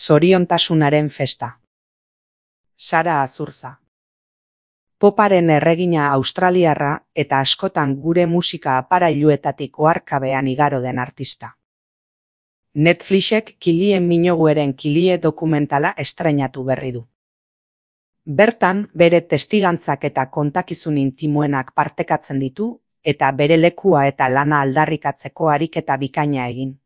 Zoriontasunaren festa. Sara Azurza. Poparen erregina australiarra eta askotan gure musika aparailuetatik oharkabean igaro den artista. Netflixek Kilien Minogueren Kilie dokumentala estreinatu berri du. Bertan, bere testigantzak eta kontakizun intimoenak partekatzen ditu eta bere lekua eta lana aldarrikatzeko ariketa bikaina egin.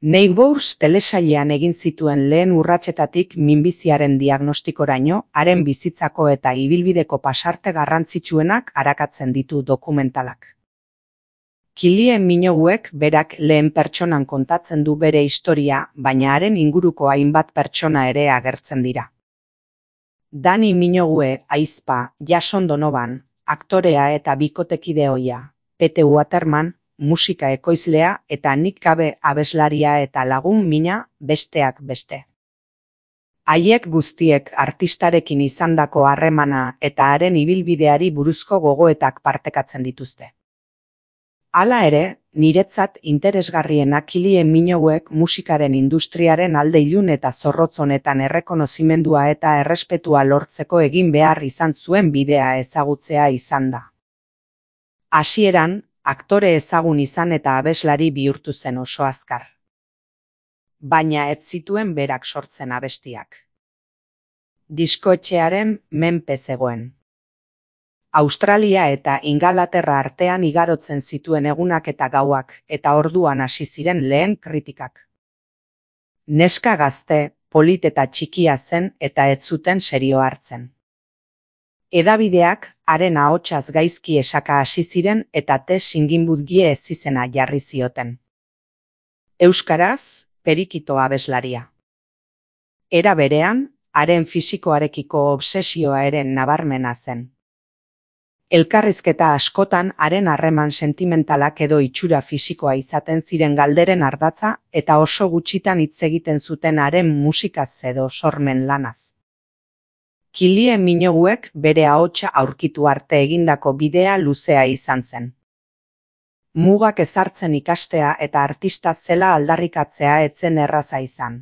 Neighbours telesailean egin zituen lehen urratsetatik minbiziaren diagnostikoraino, haren bizitzako eta ibilbideko pasarte garrantzitsuenak arakatzen ditu dokumentalak. Kilien Minoguek berak lehen pertsonan kontatzen du bere historia, baina haren inguruko hainbat pertsona ere agertzen dira. Dani Minogue ahizpa, Jason Donovan, aktorea eta bikotekide ohia, Pete Waterman, musika ekoizlea eta Nick Cave abeslaria eta lagun mina, besteak beste. Haiek guztiek artistarekin izandako harremana eta haren ibilbideari buruzko gogoetak partekatzen dituzte. Hala ere, niretzat interesgarriena Kilien Minoguek musikaren industriaren alde ilun eta zorrotz honetan errekonozimendua eta errespetua lortzeko egin behar izan zuen bidea ezagutzea izan da. Hasieran, aktore ezagun izan eta abeslari bihurtu zen oso azkar. Baina ez zituen berak sortzen abestiak. Diskoetxearen menpe zegoen. Australia eta Ingalaterra artean igarotzen zituen egunak eta gauak, eta orduan hasi ziren lehen kritikak. Neska gazte, polit eta txikia zen eta ez zuten serio hartzen. Edabideak haren ahotsaz gaizki esaka hasi ziren eta Singinbudgie ezizena jarri zioten. Euskaraz, Perikito abeslaria. Era berean, haren fisikoarekiko obsesioa ere nabarmena zen. Elkarrizketa askotan haren harreman sentimentalak edo itxura fisikoa izaten ziren galderen ardatza eta oso gutxitan hitz egiten zuten haren musikaz edo sormen lanaz. Kilien Minoguek bere ahotsa aurkitu arte egindako bidea luzea izan zen. Mugak ezartzen ikastea eta artista zela aldarrikatzea etzen erraza izan,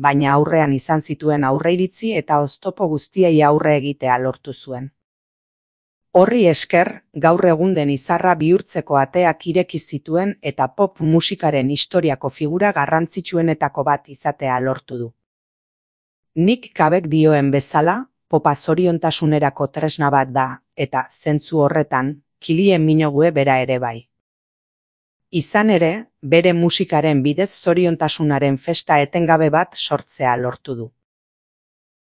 baina aurrean izan zituen aurreiritzi eta oztopo guztiei aurre egitea lortu zuen. Horri esker, gaur egun den izarra bihurtzeko ateak ireki zituen eta pop musikaren historiako figura garrantzitsuenetako bat izatea lortu du. Nick Cavek dioen bezala, popa zoriontasunerako tresna bat da, eta zentzu horretan, Kilien Minogue bera ere bai. Izan ere, bere musikaren bidez zoriontasunaren festa etengabe bat sortzea lortu du.